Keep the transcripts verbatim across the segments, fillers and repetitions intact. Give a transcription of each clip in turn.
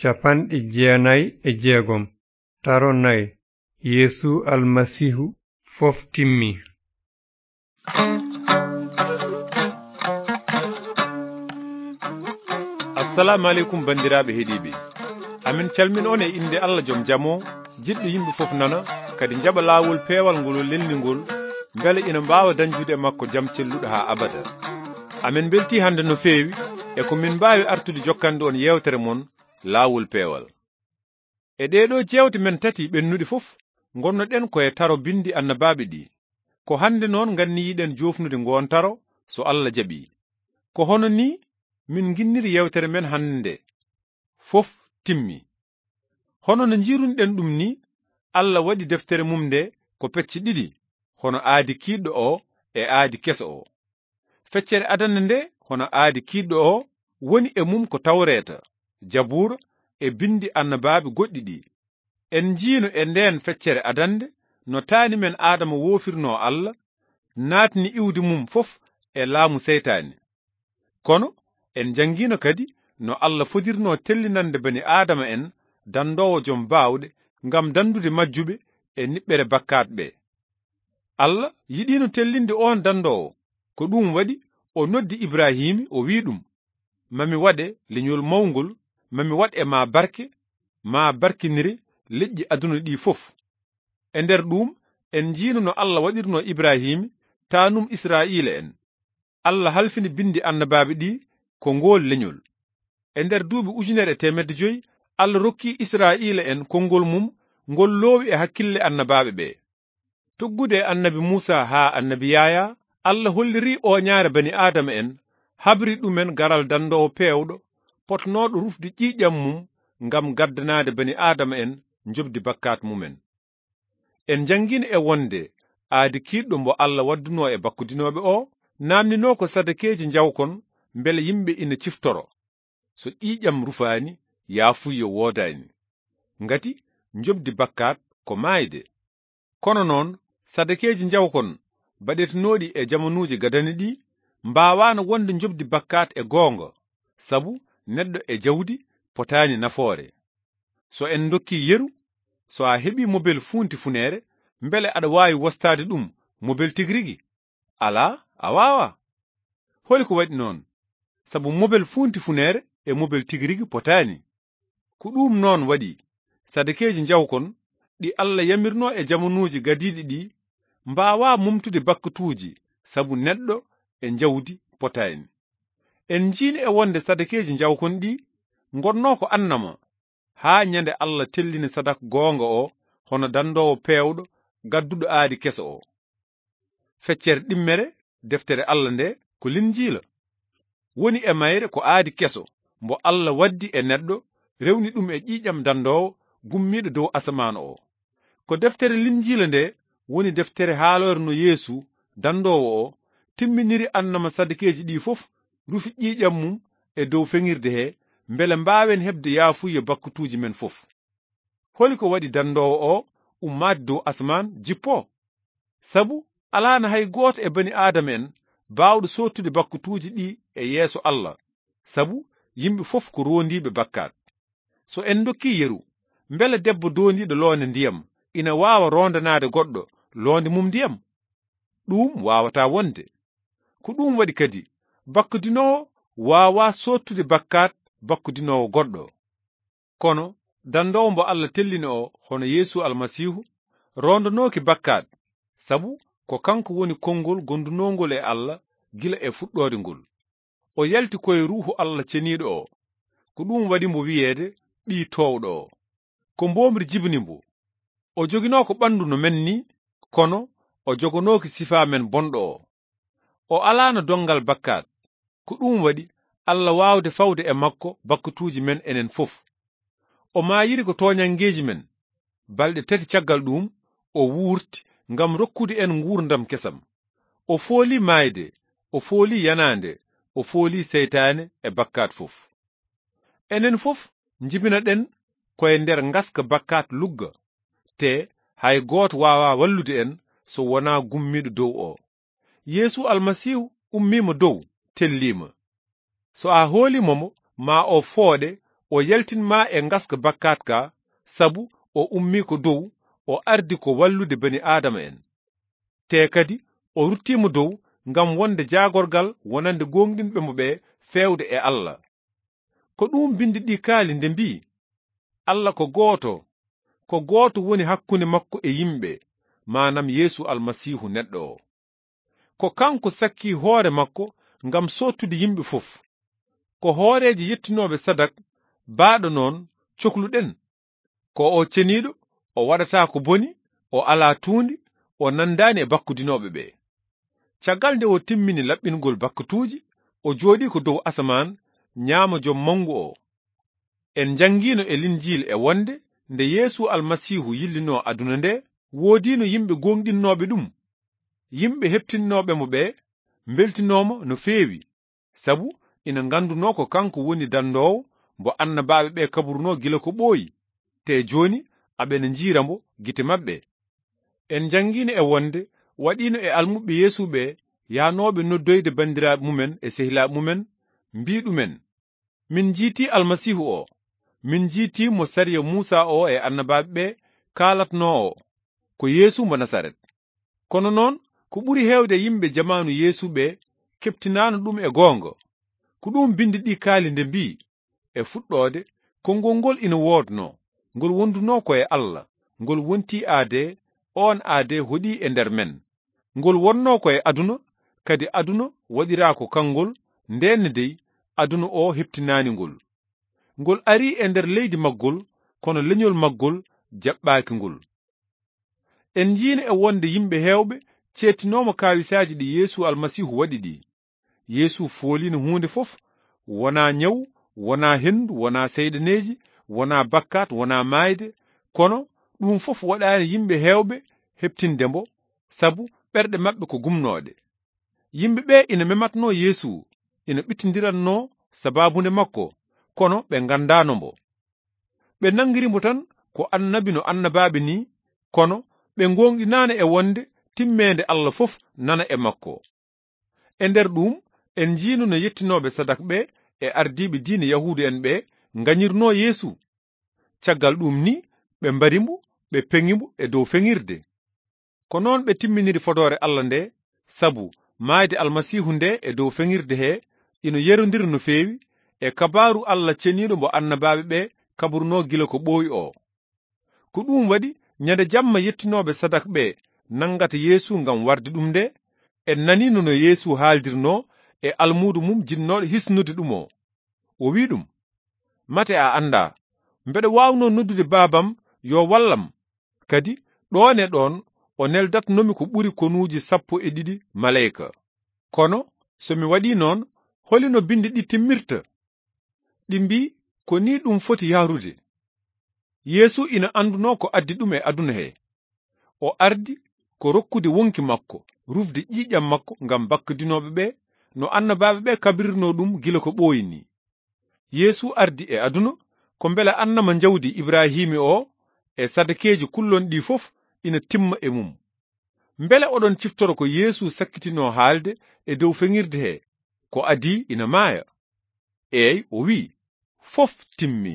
capanɗe jeenayi e jeegom. Taro nayi. Yeesu Almasiihu fof timmi. Assalaamu aleykum, banndiraaɓe heɗiiɓe. Amin calmin on e innde Allah Joom Jam o, jiɗɗo yimɓe fof nana, kadi njaɓa laawol peewal ngol o lelni ngol, mbele ina mbaawa dañdude e makko jam celluɗo haa abada. Amin mbeltii hannde no feewi e ko min mbaawi artude jokkande on yeewtere mon, Laawol Peewal. E ɗee ɗoo jeewte men tati ɓennuɗe fof, ngonnoɗen ko e taro binndi annabaaɓe ɗi. Ko hannde noon nganniyiɗen joofnude ngoon taro, so Allah jaɓii. Ko hono nii min nginniri yeewtere men hannde nde. Fof timmi. Hono no njiirunoɗen ɗum nii, Allah waɗi deftere mum nde ko pecce ɗiɗi, hono aadi kiiɗɗo o e aadi keso o. Feccere adannde nde, hono aadi kiiɗɗo o, woni e mum ko Tawreeta, Jabuura e binndi annabaaɓe goɗɗi ɗi. En njiino e ndeen feccere adannde no taani men Aadama woofirnoo Allah, naatni iwdi mum fof e laamu seytaane. Kono en njanngiino kadi no Allah fodirnoo tellinande bani Aadama en danndoowo jom baawɗe ngam danndude majjuɓe e niɓɓere bakkaat ɓe. Allah yiɗiino tellinde oon danndoowo, ko ɗum waɗi o noddi Ibrahiima, o wi'i ɗum, "Ma mi waɗe leñol mawngol, ma mi waɗ e ma barke, ma barkinire leƴƴi aduna ɗi fof." E nder ɗum en njiino no Allah waɗirnoo Ibrahiima taanum Israa'iila en. Allah halfini binndi annabaaɓe ɗi ko ngool leñol. E nder duuɓi ujunere e teemedde joyi, Allah rokki Israa'iila en konngol mum ngol loowi e hakkille annabaaɓe ɓe. Tuggude e annabi Muusa haa annabi Yaayaa, Allah holliri ooñaare bani Aadama en, habri ɗumen garal danndoowo peewɗo, potnooɗo rufde ƴiiƴam mum ngam gaddanaade bani Aadama en njoɓdi bakkaat mumen. En njanngiino e wonde aadi kiiɗɗo mbo Allah waddunoo e bakkudinooɓe o, naamninoo ko sadakeeji njawkon mbele yimɓe ina ciftoro. So ƴiiƴam rufaani, yaafuyyo woodaani. Ngati njoɓdi bakkaat ko maayde. Kono noon, sadakeeji njawkon baɗetenooɗi e jamanuuji gadani ɗi mbaawaano wonde njoɓdi bakkaat e goonga, sabu neɗɗo e jawdi potaani nafoore. So en ndokkii yeru, so a heɓii mobel fuunti funeere, mbele aɗa waawi wostaade ɗum mobel tigi rigi? Alaa, a waawaa. Holi ko waɗi noon? Sabu mobel fuunti funeere e mobel tigi rigi potaani. Ko ɗum noon waɗi, sadakeeji njawkon ɗi Allah yamirnoo e jamanuuji gadiiɗi ɗi, mbaawaa momtude bakkatuuji, sabu neɗɗo e njawdi potaani. En njiino e wonde sadakeeji njawkon ɗi ngonnoo ko annama, haa ñande Allah tellini sadak goonga o, hono danndoowo peewɗo, gadduɗo aadi keso o. Feccere ɗimmere deftere Allah nde ko Linjiila. Woni e mayre ko aadi keso, mbo Allah waddi e neɗɗo, rewni ɗum e ƴiiƴam danndoowo gummiiɗo dow asamaan o. Ko deftere Linjiila nde woni deftere haaloore no Yeesu, danndoowo o, timminiri annama sadakeeji ɗi fof, rufi ƴiiƴam mum e dow feŋirde he, mbele mbaawen heɓde yaafuyye bakkatuuji men fof. Holi ko waɗi danndoowo o ummaade dow asamaan jippoo? Sabu alaano hay gooto e bani Aadama en baawɗo soottude bakkatuuji ɗi e yeeso Allah, sabu yimɓe fof ko roondiiɓe bakkaat. So en ndokkii yeru, mbele debbo doondiiɗo loonde ndiyam ina waawa roondanaade goɗɗo loonde mum ndiyam? Ɗum waawataa wonde. Ko ɗum waɗi kadi, bakkudinoowo waawaa soottude bakkaat bakkudinoowo goɗɗo. Kono danndoowo mbo Allah tellini o, hono Yeesu Almasiihu, roondanooki bakkaat, sabu ko kanko woni konngol gondunoongol e Allah gila e fuɗɗoode ngol. O yalti ko e Ruuhu Allah Ceniiɗo o. Ko ɗum waɗi mbo wiyeede Ɓii Toowɗo o. Ko mboomri jibini mbo. O joginoo ko ɓanndu no men ni, kono o jogonooki sifaa men bonɗo o. O alaano donngal bakkaat. Ko ɗum waɗi Allah waawde fawde e makko bakkatuuji men enen fof. O maayiri ko tooñanngeeji men. Balɗe tati caggal ɗum, o wuurti ngam rokkude en nguurndam kesam. O fooli maayde, o fooli yanaande, o fooli seytaane e bakkaat fof. Enen fof njibinaɗen ko e nder ngaska bakkaat lugga, te hay gooto waawaa wallude en so wonaa gummiiɗo dow o. Yeesu Almasiihu ummiima dow, telliima. So a hooliima mo, ma o fooɗe, o yaltin ma e ngaska bakkaat ka, sabu o ummii ko dow, o ardi ko wallude bani aadama en. Te kadi o ruttiima dow ngam wonde jaagorgal wonande gooŋɗinɓe mo ɓe feewde e Allah. Ko ɗum binndi ɗi kaali nde mbii, Allah ko gooto, ko gooto woni hakkunde makko e yimɓe, maanaam Yeesu Almasiihu neɗɗo o. Ko kanko sakkii hoore makko ngam soottude yimɓe fof. Ko hooreejo yettinooɓe sadak baaɗo noon cokluɗen. Ko o ceniiɗo, o waɗataa ko boni, o alaa tuundi, o nanndaani e bakkudinooɓe ɓe. Caggal nde o timmini laɓɓingol bakkatuuji, o jooɗii ko dow asamaan, ñaamo Jom Manngu o. En njanngiino e Linjiil e wonde nde Yeesu Almasiihu yillinoo aduna nde, woodiino yimɓe gooŋɗinnooɓe ɗum. Yimɓe heɓtinnooɓe mo ɓe mbeltinooma no feewi, sabu ina nganndunoo ko kanko woni danndoowo mbo annabaaɓe ɓe kaburunoo gila ko ɓooyi, te jooni aɓena njiira mbo gite maɓɓe. En njanngiino e wonde waɗiino e almuɓɓe Yeesu ɓe yaanooɓe noddoyde banndiraaɓe mumen e sehilaaɓe mumen, mbii ɗumen, "Min njiitii Almasiihu o, min njiitii mo sariya Muusa o e annabaaɓe ɓe kaalatnoo o, ko Yeesu mbo Nasaret." Kono noon, ko ɓuri heewde yimɓe jamaanu Yeesu ɓe keɓtinaano ɗum e goonga. Ko ɗum binndi ɗi kaali nde mbii, "E fuɗɗoode, konngol ngol ina woodnoo, ngol wondunoo ko e Allah, ngol wontii aadee, oon aadee hoɗii e nder men. Ngol wonnoo ko e aduna, kadi aduna waɗiraa ko kanngol, ndeen ne dey, aduna o heɓtinaani ngol. Ngol arii e nder leydi maggol, kono leñol maggol jaɓɓaaki ngol." En njiino e wonde yimɓe heewɓe ceettinooma kaawisaaji ɗi Yeesu Almasiihu waɗi ɗi. Yeesu fooliino huunde fof, wonaa ñaw, wonaa henndu, wonaa seyɗaneeji, wonaa bakkaat, wonaa maayde, kono ɗum fof waɗaani yimɓe heewɓe heɓtinde mbo, sabu ɓerɗe maɓɓe ko gumnooɗe. Yimɓe ɓe ina mematnoo Yeesu, ina ɓittindirannoo sabaabunde makko, kono ɓe nganndaano mbo. Ɓe nanngiri mbo tan ko annabi no annabaaɓe nii, kono ɓe ngooŋɗinaano e wonde timmeende Allah fof nana e makko. E nder ɗum, en njiino no yettinooɓe sadak ɓe e ardiiɓe diine Yahuudu en ɓe ngañirnoo Yeesu. Caggal ɗum ni, ɓe mbari mbo, ɓe peŋi mbo e dow feŋirde. Ko noon ɓe timminiri fodoore Allah nde, sabu maayde Almasiihu nde e dow feŋirde he ino yerondira no feewi e kabaaru Allah ceniiɗo mbo annabaaɓe ɓe kaburunoo gila ko ɓooyi o. Ko ɗum waɗi, ñande jamma yettinooɓe sadak ɓe nanngata Yeesu ngam warde ɗum nde, en naniino no Yeesu haaldirnoo e almuudo mum jinnooɗo hisnude ɗum o. O wi'i ɗum, "Mate a anndaa, mbeɗa waawnoo noddude baabam yo wallam, kadi ɗoon e ɗoon o neldatnomi ko ɓuri konuuji sappo e ɗiɗi maleyka. Kono so mi waɗii noon, holi no binndi ɗi timmirta?" Ɗi mbii, "Ko nii ɗum foti yahrude." Yeesu ina anndunoo ko addi ɗum e aduna he. O ardi ko rokkude wonki makko, rufde ƴiiƴam makko ngam bakkudinooɓe ɓe, no annabaaɓe ɓe kabirirnoo ɗum gila ko ɓooyi nii. Yeesu ardi e aduna ko mbele annama njawdi Ibrahiimi o e sadakeeji kullon ɗi fof ina timma e mum. Mbele oɗon ciftoro ko Yeesu sakkitinoo haalde e dow feŋirde he, ko adii ina maaya? Eey, o wi'i, "Fof timmi."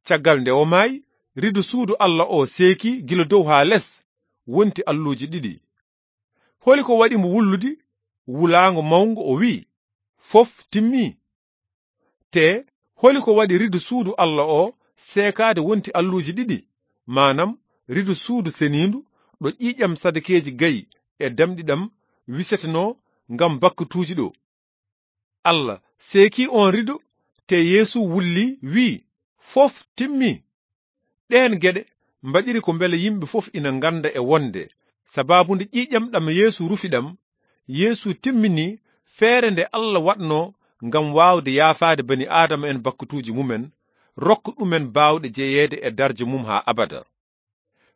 Caggal nde o maayi, rido suudu Allah o seeki gila dow haa les, wonti alluuji ɗiɗi. Holi ko waɗi mo wullude wulaango mawngo o wi'i, "Fof timmi"? Te holi ko waɗi rido suudu Allah o seekaade wonti alluuji ɗiɗi, maanaam rido suudu seniindu ɗo ƴiiƴam sadakeeji gayi e damɗi ɗam wisetenoo ngam bakkatuuji ɗo? Allah seeki oon rido, te Yeesu wulli, wi'i, "Fof timmi." Ɗeen geɗe mbaɗiri ko mbele yimɓe fof ina ngannda e wonde sabaabu nde ƴiiƴam ɗam Yeesu rufi ɗam, Yeesu timmini feere nde Allah waɗnoo ngam waawde yaafaade bani Aadama en bakkatuuji mumen, rokka ɗumen baawɗe jeyeede e darja mum haa abada.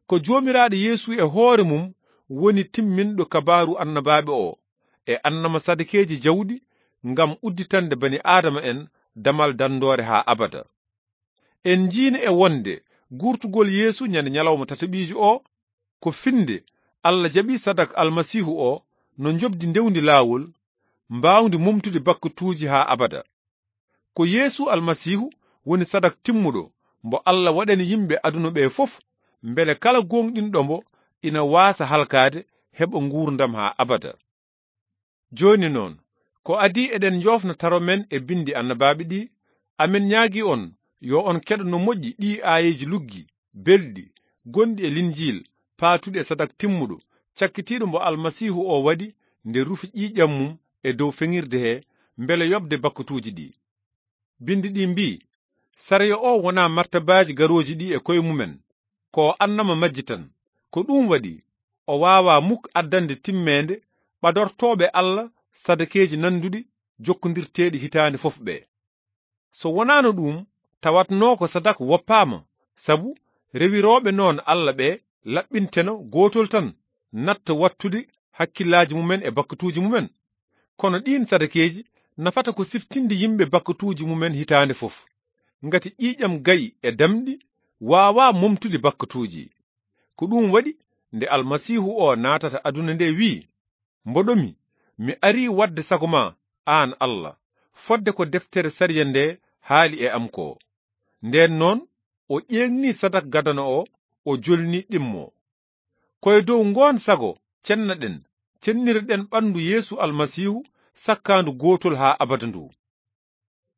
Ko Joomiraaɗo Yeesu e hoore mum woni timminɗo kabaaru annabaaɓe o, e annama sadakeeji jawɗi ngam udditande bani Aadama en damal danndoore haa abada. En njiino e wonde guurtugol Yeesu ñande ñalawma tataɓiijo o, ko finnde Allah jaɓi sadak Almasiihu o no njoɓdi ndewndi laawol, mbaawndi momtude bakkatuuji haa abada. Ko Yeesu Almasiihu woni sadak timmuɗo mbo Allah waɗani yimɓe aduna ɓe fof, mbele kala gooŋɗinɗo mbo ina waasa halkaade, heɓa nguurndam haa abada. Jooni noon, ko adii eɗen njoofna taro men e binndi annabaaɓe ɗi, amen ñaagii on, yo on keɗo no moƴƴi ɗii aayeeji luggi, belɗi, gonɗi e Linjiil, paatuɗi e sadak timmuɗo, cakkitiiɗo mbo Almasiihu o waɗi nde rufi ƴiiƴam mum e dow feŋirde he, mbele yoɓde bakkatuuji ɗi. Binndi ɗi mbii, "Sariya o wonaa martabaaji garooji ɗi e koye mumen, ko o annama majji tan. Ko ɗum waɗi, o waawaa muk addande timmeende ɓadortooɓe Allah sadakeeji nannduɗi jokkondirteeɗi hitaande fof ɓe. So wonaano ɗum, tawatnoo ko sadak woppaama, sabu rewirooɓe noon Allah ɓe laɓɓinteno gootol tan, natta wattude hakkillaaji mumen e bakkatuuji mumen. Kono ɗiin sadakeeji nafata ko siftinde yimɓe bakkatuuji mumen hitaande fof. Ngati ƴiiƴam gayi e damɗi waawaa momtude bakkatuuji." Ko ɗum waɗi nde Almasiihu o naatata aduna nde wi'i, "Mboɗo mi, mi arii waɗde sago ma, aan Allah, fodde ko deftere sariya nde haali e am ko." Ndeen noon, o ƴeeŋni sadak gadano o, o jolni ɗimmo. Ko e dow ngoon sago cennaɗen, cennirɗen ɓanndu Yeesu Almasiihu sakkaandu gootol haa abada ndu.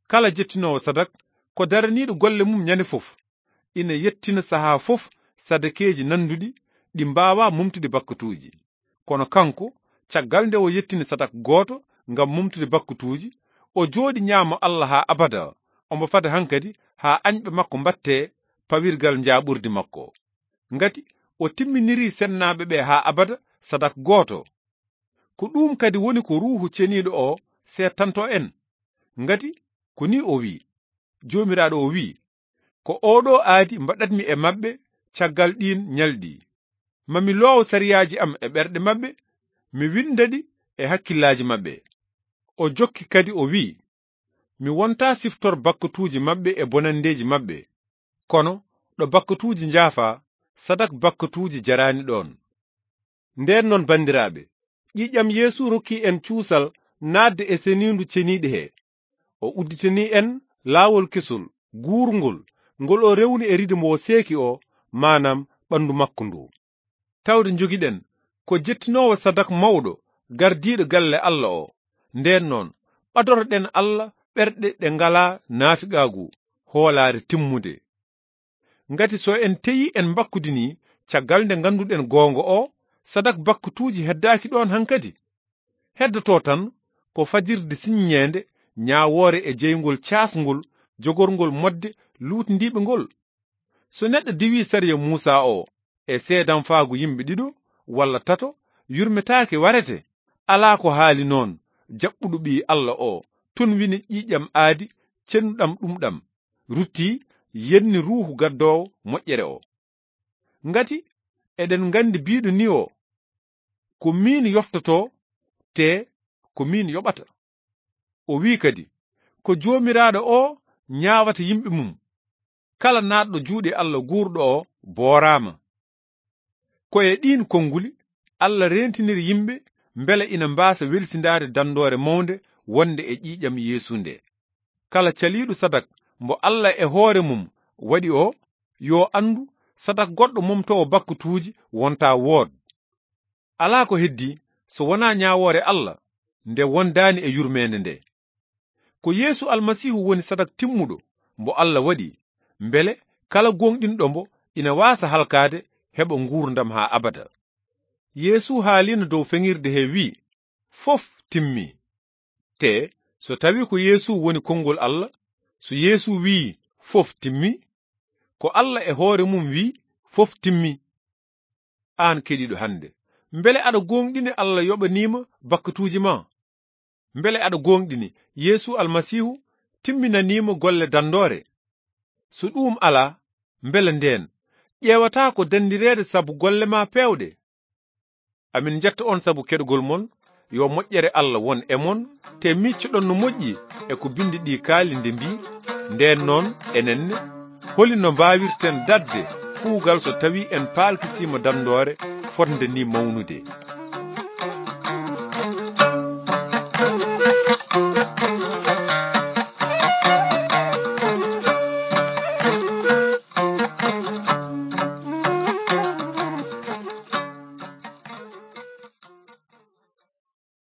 Kala jettinoowo sadak, ko daraniiɗo golle mum ñande fof, ina yettina sahaa fof sadakeeji nannduɗi ɗi mbaawaa momtude bakkatuuji. Kono kanko, caggal nde o yettini sadak gooto ngam momtude bakkatuuji, o jooɗi ñaamo Allah haa abada, omo fada hankadi haa añɓe makko mbattee pawirgal njaaɓurdi makko. Ngati o timminirii sennaaɓe ɓe haa abada sadak gooto. Ko ɗum kadi woni ko Ruuhu Ceniiɗo o seedtanto en. Ngati ko ni o wi'i, Joomiraaɗo o wi'i, "Ko oɗo aadi mbaɗatmi e maɓɓe caggal ɗiin ñalɗi. Ma mi loowo sariyaaji am e ɓerɗe maɓɓe, mi winnda ɗi e hakkillaaji maɓɓe." O jokki kadi o wi'i, "Mi wontaa siftor bakkatuuji maɓɓe e bonanndeeji maɓɓe. Kono ɗo bakkatuuji njaafaa, sadak bakkatuuji jaraani ɗoon." Ndeen noon, banndiraaɓe, ƴiiƴam Yeesu rokki en cuusal naatde e seniindu ceniiɗi he. O udditini en laawol kesol, guurngol, ngol o rewni e riido mo o seeki o, maanaam ɓanndu makko ndu. Tawde njogiɗen ko jettinoowo sadak mawɗo, gardiiɗo galle Allah o. Ndeen noon, ɓadoroɗen Allah ɓerɗe ɗe ngalaa naafiqaagu, hoolaare timmude. Ngati so en teyi en mbakkudini, caggal nde ngannduɗen goonga o, sadak bakkatuuji heddaaki ɗoon hankadi. Heddoto tan ko fajirde siññeende ñaawoore e jeyngol caasngol, jogorngol moƴƴe luutndiiɓe ngol. So neɗɗo diwii sariya Muusaa o e seedanfaagu yimɓe ɗiɗo walla tato, yurmetaake warete. Alaa ko haali noon, jaɓɓuɗo Ɓii Allah o, tun wini ƴiiƴam aadi cennuɗam ɗum ɗam, rutti yenni Ruuhu gaddoowo moƴƴere o. Ngati eɗen nganndi biiɗo ni o, "Ko miin yoftotoo, te ko miin yoɓata." O wi'i kadi, "Ko Joomiraaɗo o ñaawata yimɓe mum. Kala naatɗo juuɗe Allah guurɗo o booraama." Ko e ɗiin konnguli Allah reentiniri yimɓe mbele ina mbaasa welsindaade danndoore mawnde wonde e ƴiiƴam Yeesu nde. Kala caliiɗo sadak mbo Allah e hoore mum waɗi o, yo anndu sadak goɗɗo momtoowo bakkatuuji wontaa wood. Alaa ko heddii so wonaa ñaawoore Allah nde wondaani e yurmeende nde. Ko Yeesu Almasiihu woni sadak timmuɗo mbo Allah waɗi, mbele kala gooŋɗinɗo mbo ina waasa halkaade, heɓa nguurndam haa abada. Yeesu haaliino dow feŋirde he wi'i, "Fof timmi." Te so tawi ko Yeesu woni konngol Allah, so Yeesu wi'i, "Fof timmi," ko Allah e hoore mum wi'i, "Fof timmi." Aan keɗiiɗo hannde, mbele aɗa gooŋɗini Allah yoɓaniima bakkatuuji ma? Mbele aɗa gooŋɗini Yeesu Almasiihu timminaniima golle danndoore? So ɗuum alaa, mbele ndeen ƴeewataa ko danndireede sabu golle ma peewɗe? Amin njetta on sabu keɗogol mon. Yo moƴƴere Allah won e mon, te miccoɗon no moƴƴi e ko binndi ɗi kaali nde mbii, ndeen noon, enen ne, holi no mbaawirten daɗde kuugal so tawii en paalkisiima danndoore fotnde ni mawnude?